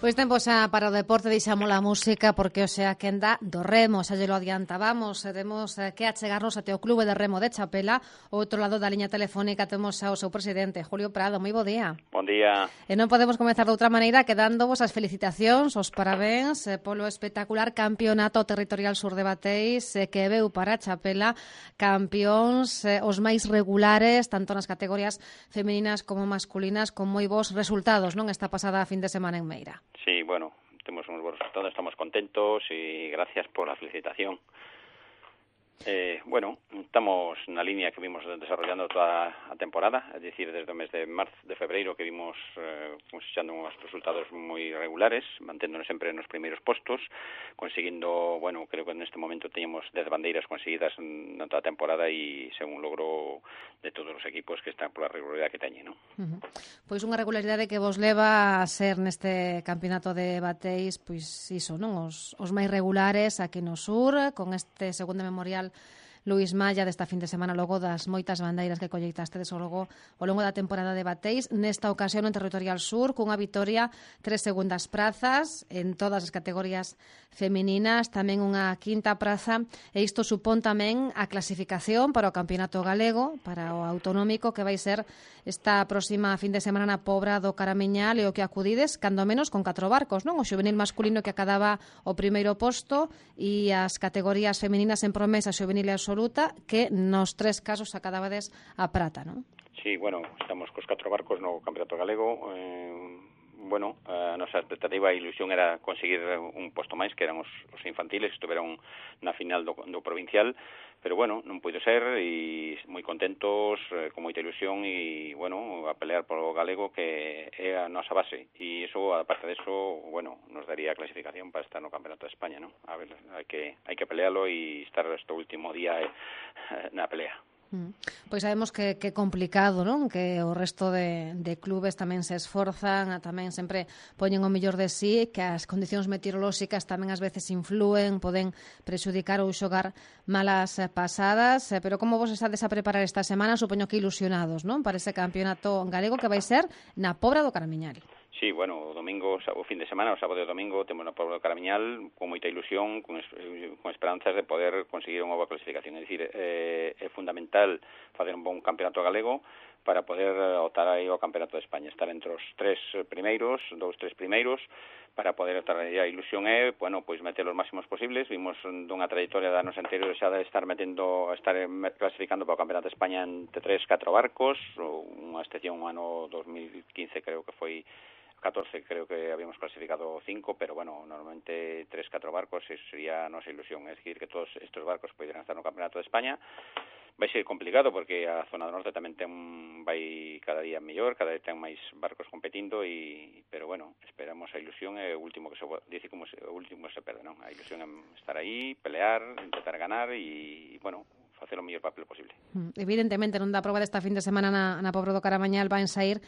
Pois tempo xa para o deporte, deixamos a música porque o sea que anda do remo, xa lle lo adiantábamos, temos que achegarnos até o Clube de Remo de Chapela. Ao outro lado da liña telefónica temos xa o seu presidente, Julio Prado. Moi bo día. Bon día. E non podemos comezar de outra maneira que dándovos as felicitacións, os parabéns polo espectacular campeonato territorial sur de Bateis que veu para Chapela, campións os máis regulares, tanto nas categorías femininas como masculinas, con moi bons resultados, non, esta pasada fin de semana en Meira. Sí, bueno, tenemos unos buenos resultados, estamos contentos y gracias por la felicitación. Bueno, estamos na línea que vimos desarrollando toda a temporada, es decir, desde o mes de febreiro que vimos cosechando unos resultados moi regulares, manténdonos sempre nos primeiros postos, consiguiendo, bueno, creo que en este momento teníamos 10 bandeiras conseguidas na toda a temporada e según logro de todos os equipos que están pola regularidade que teñen, non? Pois unha regularidade que vos leva a ser neste campeonato de Bateis, pois iso, non? Os máis regulares aquí no sur, con este segundo memorial Luís Malla desta fin de semana, logo das moitas bandeiras que colleitastedes ao longo da temporada de Bateis, nesta ocasión en territorial sur, cunha vitoria, 3 segundas prazas en todas as categorías femininas, tamén unha quinta praza, e isto supón tamén a clasificación para o campeonato galego, para o autonómico, que vai ser esta próxima fin de semana na Pobra do Caramiñal, e o que acudides, cando menos, con 4 barcos, non? O xuvenil masculino que acadaba o primeiro posto e as categorías femininas en promesa, xuvenil e absoluta, que nos 3 casos acadabades a prata, non? Sí, bueno, estamos cos 4 barcos no Campeonato Galego. Bueno, a nosa expectativa e ilusión era conseguir un posto máis, que eran os infantiles, que estuveron na final do provincial, pero bueno, non puido ser, e moi contentos, con moita ilusión, e bueno, a pelear polo galego, que é a nosa base, e iso, aparte de eso, bueno, nos daría a clasificación para estar no Campeonato de España, non? A ver, hai que pelealo e estar este último día na pelea. Pois sabemos que é complicado, non? Que o resto de clubes tamén se esforzan, tamén sempre poñen o mellor de sí, que as condicións meteorolóxicas tamén ás veces influen, poden prexudicar ou xogar malas pasadas, pero como vos estades a preparar esta semana, supoño que ilusionados, non? Para ese campeonato galego que vai ser na Pobra do Caramiñal. Sí, bueno, o domingo, o fin de semana, o sábado e o domingo, temos na Pobra do Caramiñal con moita ilusión, con esperanzas de poder conseguir unha boa clasificación. É dicir, é fundamental facer un bon campeonato galego para poder optar aí ao campeonato de España, estar entre os 3 primeiros, 2-3 primeiros, para poder estar aí. A ilusión é, bueno, pois meter os máximos posibles. Vimos dunha trayectoria de anos anteriores xa de estar clasificando para o campeonato de España entre 3-4 barcos, unha excepción un ano 2015 creo que foi 14, creo que habíamos clasificado 5, pero bueno, normalmente 3-4 barcos, eso sería a nosa ilusión, es decir, que todos estos barcos poderan estar no Campeonato de España. Vai ser complicado porque a zona do norte tamén vai cada día mellor, cada vez ten máis barcos competindo, pero bueno, esperamos a ilusión, é o último que se dice, como o último se perde, non? A ilusión é estar aí, pelear, intentar ganar e bueno, facer o mellor papel posible. Evidentemente, non da proba desta fin de semana na Pobra do Caramañal van sair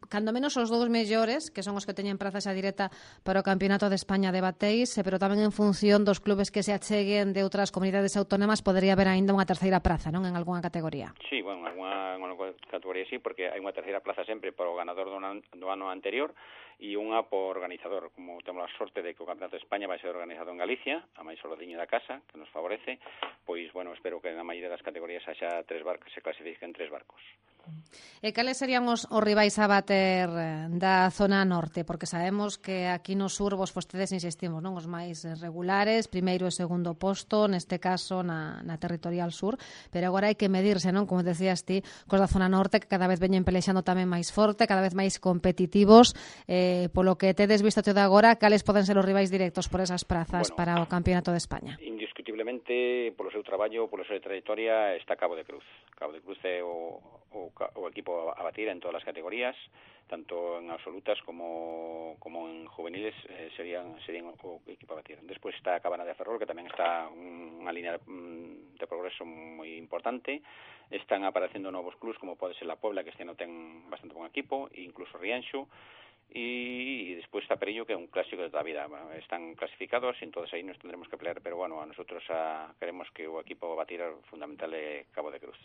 cando menos os 2 mellores, que son os que teñen praza xa directa para o Campeonato de España de Bateis, pero tamén en función dos clubes que se acheguen de outras comunidades autónomas, podería haber aínda unha terceira praza, non? En algunha categoría. Sí, bueno, en algunha categoría sí, porque hai unha terceira praza sempre para o ganador do ano anterior e unha por organizador. Como temos a sorte de que o Campeonato de España vai ser organizado en Galicia, a máis ordiño da casa, que nos favorece, pois, bueno, espero que na maioría das categorías haxa 3 barcos, se clasifiquen 3 barcos. E cales serían os rivais a bater da zona norte? Porque sabemos que aquí no sur vos fostedes, insistimos, non? Os máis regulares, primeiro e segundo posto, neste caso na territorial sur, pero agora hai que medirse, non? Como decías ti, cos da zona norte, que cada vez veñen pelexando tamén máis forte, cada vez máis competitivos. Polo que tedes visto até agora, cales poden ser os rivais directos por esas prazas para o Campeonato de España? Indiscutiblemente, polo seu traballo, polo seu trayectoria, está Cabo de Cruz. Cabo de Cruz é o equipo a batir en todas as categorías, tanto en absolutas como en juveniles, serían o equipo a batir. Despois está Cabana de Ferrol, que tamén está unha línea de progreso moi importante. Están aparecendo novos clubs, como pode ser la Puebla, que este ano ten bastante bon equipo, e incluso Rianxo, e despois está Perillo, que é un clásico de toda a vida. Bueno, están clasificados e entonces aí nos tendremos que pelear, pero bueno, a nosotros queremos que o equipo a batir fundamental é Cabo de Cruz.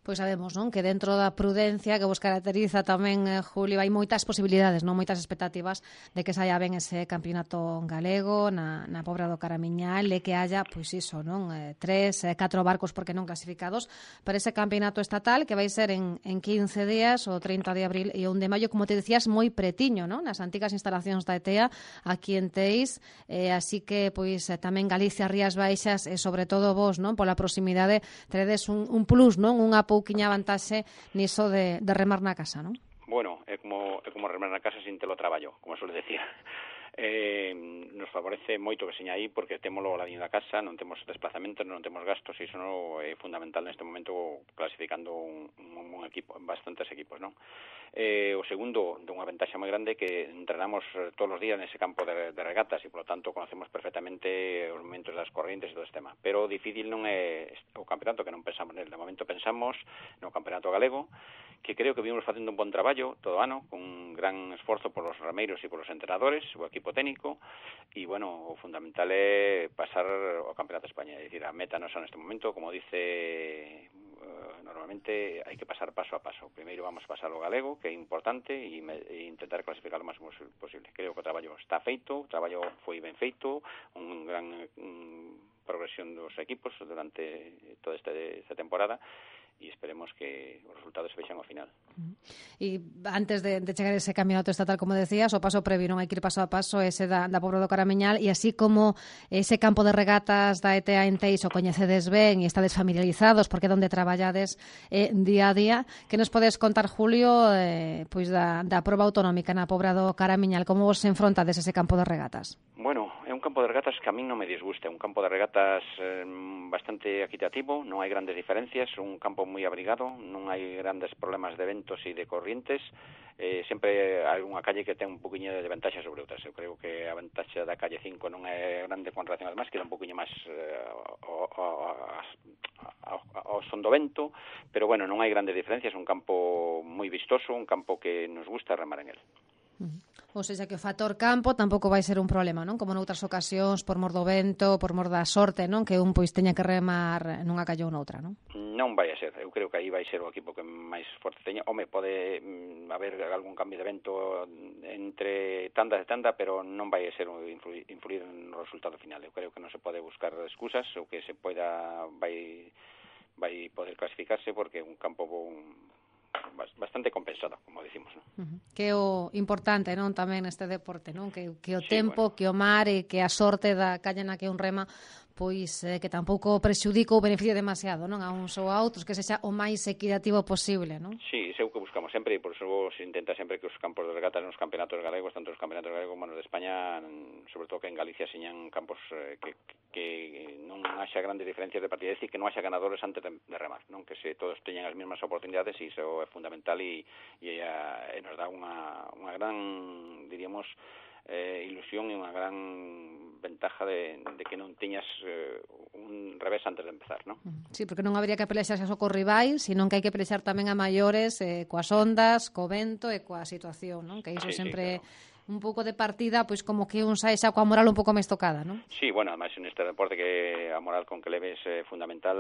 Pois sabemos, non, que dentro da prudencia que vos caracteriza tamén, Julio, hai moitas posibilidades, non, moitas expectativas de que saia ben ese campeonato galego na Pobra do Caramiñal e que haya, pois iso, non, 3, 4 barcos, porque non clasificados, para ese campeonato estatal que vai ser en 15 días, o 30 de abril e o 1 de maio, como te decías, moi pretiño, non, nas antigas instalacións da ETEA, aquí en Teis, así que, pois, tamén Galicia, Rías Baixas e, sobre todo, vos, non, pola proximidade, teredes un plus, non, unha pouquiña vantaxe niso de remar na casa, non? Bueno, é como remar na casa sin telo traballo, como suele decir. Nos favorece moito que seña aí porque témolo ao ladiño da casa, non temos desplazamentos, non temos gastos e iso non é fundamental neste momento clasificando un equipo, bastantes equipos, non? O segundo, de unha ventaxa moi grande que entrenamos todos os días nese campo de regatas e, polo tanto, conocemos perfectamente os momentos das corrientes e todo este tema. Pero o difícil non é o campeonato, que non pensamos nel. De momento pensamos no campeonato galego, que creo que vimos facendo un bon traballo todo o ano, con un gran esforzo por os rameiros e por os entrenadores, o equipo técnico, e, bueno, o fundamental é pasar ao Campeonato de España. É dicir, a meta nosa neste momento, como dice normalmente, hai que pasar paso a paso. Primeiro vamos a pasar ao galego, que é importante, e intentar clasificar o máximo posible. Creo que o traballo está feito, o traballo foi ben feito, un gran progresión dos equipos durante toda esta temporada, e esperemos que os resultados se vexan ao final. E antes de chegar a ese campeonato estatal, como decías, o paso previo, non hai que ir paso a paso, ese da Pobra do Caramiñal, e así como ese campo de regatas da ETEA en Teis o coñecedes ben e estades familiarizados porque é onde traballades día a día, que nos podes contar, Julio, pois da proba autonómica na Pobra do Caramiñal, como vos enfrontades ese campo de regatas? Bueno, é un campo de regatas que a min non me disgusta, é un campo de regatas bastante equitativo, non hai grandes diferencias, un campo moi abrigado, non hai grandes problemas de ventos e de corrientes, sempre hai unha calle que ten un poquinho de ventaxa sobre outras. Eu creo que a ventaxa da calle 5 non é grande con relación ao demás, que é un poquinho máis ao son do vento, pero bueno, non hai grandes diferencias, é un campo moi vistoso, un campo que nos gusta remar en el. Ou seja, que o factor campo tampouco vai ser un problema, non? Como noutras ocasións, por mor do vento, por mor da sorte, non? Que un pois teña que remar nunha calle ou noutra, non? Non vai a ser, eu creo que aí vai ser o equipo que máis forte teña. Home, pode haber algún cambio de vento entre tanda e tanda, pero non vai a ser influir no resultado final. Eu creo que non se pode buscar excusas, ou que se poida vai poder clasificarse porque é un campo bastante compensado, como decimos, non? Que é o importante, non, tamén neste deporte, non? Que o tempo, bueno, que o mar e que a sorte da calle na que un rema, pois que tampouco prexudica ou beneficie demasiado, non, a uns ou a outros, que sexa o máis equitativo posible, non? Sí, é o que buscamos sempre, e por iso se intenta sempre que os campos de regatas nos campeonatos galegos, tanto os campeonatos galegos como nos de España, sobre todo que en Galicia señan campos que non haxa grandes diferencias de partida, é dicir, que non haxa ganadores antes de remar, non, que se todos teñan as mesmas oportunidades, e iso é fundamental e nos dá unha gran, diríamos, ilusión e unha gran ventaja de que non teñas un revés antes de empezar, non? Sí, porque non habría que pelexar só co rivais, sino que hai que pelexar tamén a maiores, coas ondas, co vento e coa situación, non? Que iso sempre... Claro. Un pouco de partida, pois como que un sae xa coa moral un pouco máis tocada, non? Sí, bueno, además neste deporte que a moral con que leves é fundamental,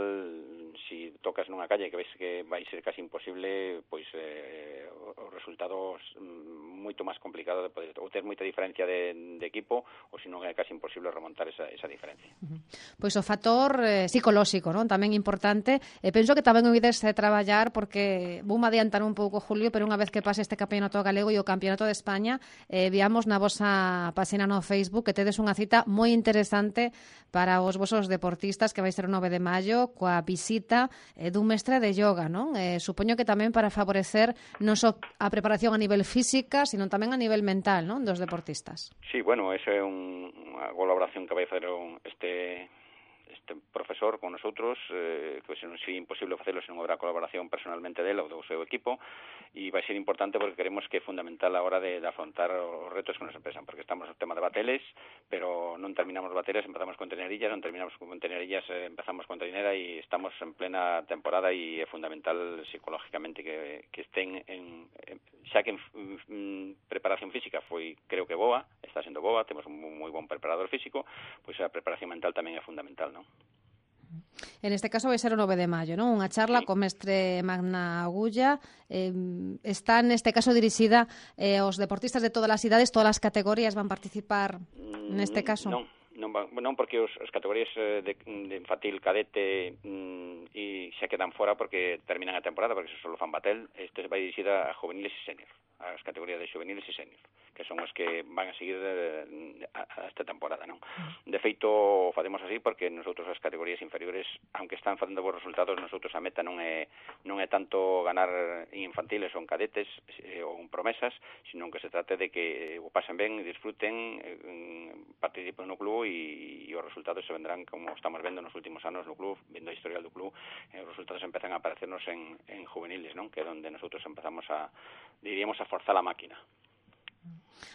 si tocas nunha calle que ves que vai ser casi imposible, pois os resultados moito máis complicado de poder, ou ter moita diferencia de equipo, ou senón é casi imposible remontar esa diferencia. Pois o factor psicolóxico, non? Tamén importante, penso que tamén o ides traballar, porque vou adiantar un pouco, Julio, pero unha vez que pase este campeonato galego e o campeonato de España, viamos na vosa página no Facebook que tedes unha cita moi interesante para os vosos deportistas, que vai ser o 9 de maio, coa visita dun mestre de yoga, non? Supoño que tamén para favorecer non só a preparación a nivel física, sino tamén a nivel mental, non, dos deportistas. Sí, bueno, esa é unha colaboración que vai facer este profesor con nosotros, que se nos é imposible facelo se non habrá colaboración personalmente dele ou do seu equipo, e vai ser importante porque queremos que é fundamental a hora de afrontar os retos que nos empesan, porque estamos no tema de bateles, pero non terminamos bateles, empezamos con tenerillas, non terminamos con tenerillas, empezamos con trinera, e estamos en plena temporada, e é fundamental psicológicamente que estén xa que en preparación física foi, creo que boa, está sendo boa, temos un moi bon preparador físico, pois a preparación mental tamén é fundamental, non? En este caso vai ser o 9 de maio, non? Unha charla co mestre Magna Agulla. Está neste caso dirixida aos deportistas de todas as idades, todas as categorías van participar neste caso? Non porque as categorías de infantil, cadete e xa quedan fora porque terminan a temporada, porque só fan batel. Este vai dirixida a juveniles e senior, as categorías de juveniles e senior, que son os que van a seguir a esta temporada, non? De feito, facemos así porque nosotros as categorías inferiores, aunque están facendo bons resultados, nosotros a meta non é tanto ganar en infantiles ou en cadetes ou en promesas, sino que se trate de que o pasen ben, disfruten, participen no club e os resultados se vendrán como estamos vendo nos últimos anos no club, vendo a historial do club, os resultados empezan a aparecernos en juveniles, non? Que é onde nosotros empezamos diríamos a forzar a máquina.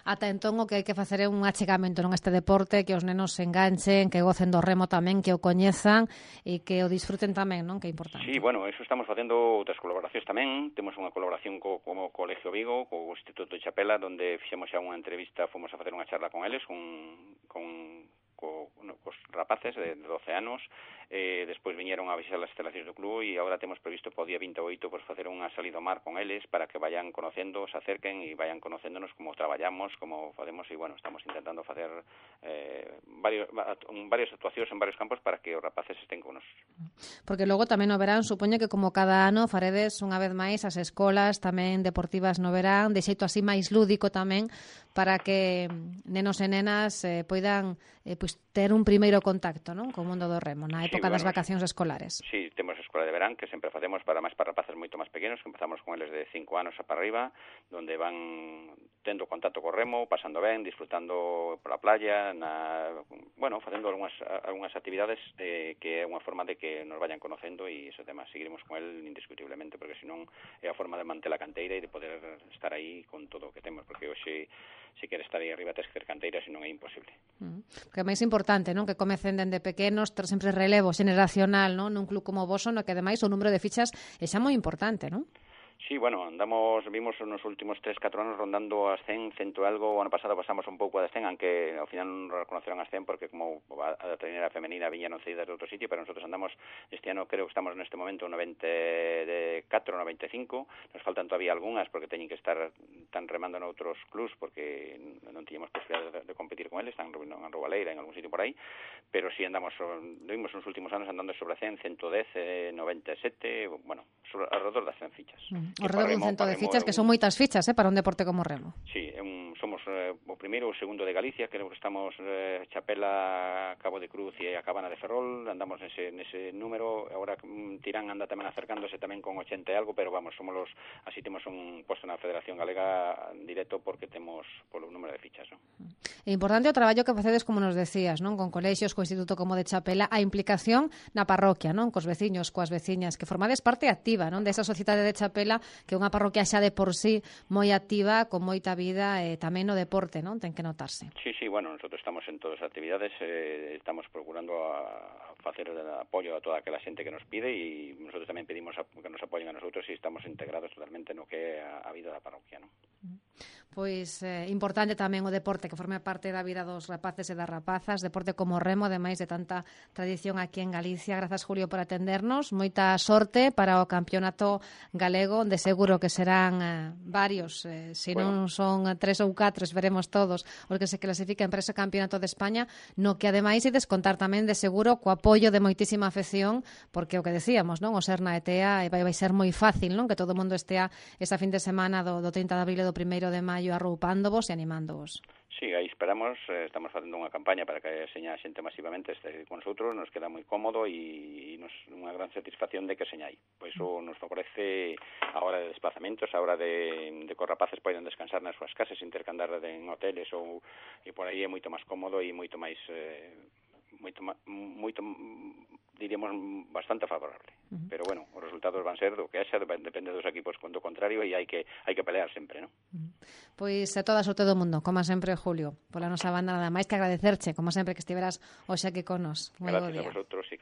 Ata entón o que hai que facer é un achegamento non este deporte, que os nenos se enganchen, que gocen do remo tamén, que o coñezan e que o disfruten tamén, non? Que é importante. Sí, bueno, eso estamos facendo outras colaboracións tamén. Temos unha colaboración como Colegio Vigo, co Instituto de Chapela, donde fixemos xa unha entrevista, fomos a facer unha charla con eles, cos rapaces de 12 anos. Despois viñeron a visitar as instalacións do club e agora temos previsto para o día 28 pues, facer unha salida ao mar con eles para que vayan conocendo, se acerquen e vayan conocéndonos como traballamos, como facemos e, bueno, estamos intentando facer varias actuacións en varios campos para que os rapaces estén con nos. Porque logo tamén no verán, supoño que como cada ano faredes unha vez máis as escolas tamén deportivas no verán, de xeito así máis lúdico tamén, para que nenos e nenas poidan ter un primeiro contacto, non, co mundo do remo na época das vacacións escolares. Sí, temos a escola de verán que sempre facemos para rapaces moito máis pequenos, que empezamos con eles de 5 anos para arriba, donde van tendo contacto co remo, pasando ben, disfrutando pola playa, facendo algunhas actividades que é unha forma de que nos vayan conocendo e ese tema seguiremos con el indiscutiblemente, porque senón é a forma de manter a canteira e de poder estar aí con todo o que temos, porque hoxe se quere estar aí arriba tes que ter canteira, senón é imposible. Que é máis importante, non? Que comecen dende pequenos, ter sempre relevo xeneracional, non? Nun club como vos, no que ademais o número de fichas é xa moi importante, non? Sí, bueno, vimos nos últimos 3-4 anos rondando as 100 e algo. O ano pasado pasamos un pouco das 100, aunque ao final non reconoceron as 100 porque como a trainera femenina viñeron cedidas de outro sitio, pero nosotros andamos, este ano creo que estamos neste momento 94, 95, nos faltan todavía algunhas porque teñen que estar tan remando noutros clubs porque non tiñamos posibilidade de competir con eles, están en Roualeira, en algún sitio por aí, pero sí vimos nos últimos anos andando sobre 100, 110, 97, bueno, alrededor das 100 fichas. Ao redor dun cento de fichas, que son moitas fichas para un deporte como o remo. Sí, somos o primeiro ou segundo de Galicia, creo que estamos Chapela, Cabo de Cruz e a Cabana de Ferrol, andamos nese número, agora Tirán anda tamén acercándose tamén con 80 e algo, pero vamos, así temos un posto na Federación Galega directo porque temos polo número de fichas, non? É importante o traballo que facedes, como nos decías, non? Con colexios, co Instituto como de Chapela, a implicación na parroquia, non? Cos veciños, coas veciñas, que formades parte activa, non? Desa sociedade de Chapela, que é unha parroquia xa de por sí moi activa, con moita vida, tamén no deporte, non? Ten que notarse. Sí, bueno, nosotros estamos en todas as actividades, estamos procurando a facer apoio a toda aquela xente que nos pide e nosotros tamén pedimos que nos apoyen a nosotros e estamos integrados totalmente no que é a vida da parroquia, non? Pois importante tamén o deporte que forme parte da vida dos rapaces e das rapazas, deporte como o remo, ademais de tanta tradición aquí en Galicia. Grazas, Julio, por atendernos. Moita sorte para o campeonato galego, onde seguro que serán varios, se non son 3 ou 4, veremos todos os que se clasifiquen para ese campeonato de España, no que ademais e descontar tamén de seguro co apoio de moitísima afección, porque o que decíamos, non? O ser na ETEA vai ser moi fácil, non? Que todo o mundo estea esa fin de semana do 30 de abril e do 1 de maio arroupándovos e animándovos. Sí, aí esperamos, estamos facendo unha campaña para que seña a xente masivamente este con nosotros, nos queda moi cómodo e nos unha gran satisfacción de que seña aí. Pois iso nos favorece a hora de desplazamentos, a hora de que os rapaces poidan descansar nas súas casas, sin ter que andar en hoteles e por aí é moito máis cómodo e moito máis diríamos bastante favorable. Pero bueno, os resultados van ser do que haxa, depende dos equipos do contrario e hai que pelear sempre, non? Pois a toda sorte do mundo, como sempre, Julio. Pola nosa banda nada máis que agradecerche, como sempre, que estiveras hoxe aquí con nos. Gracias a vosotros e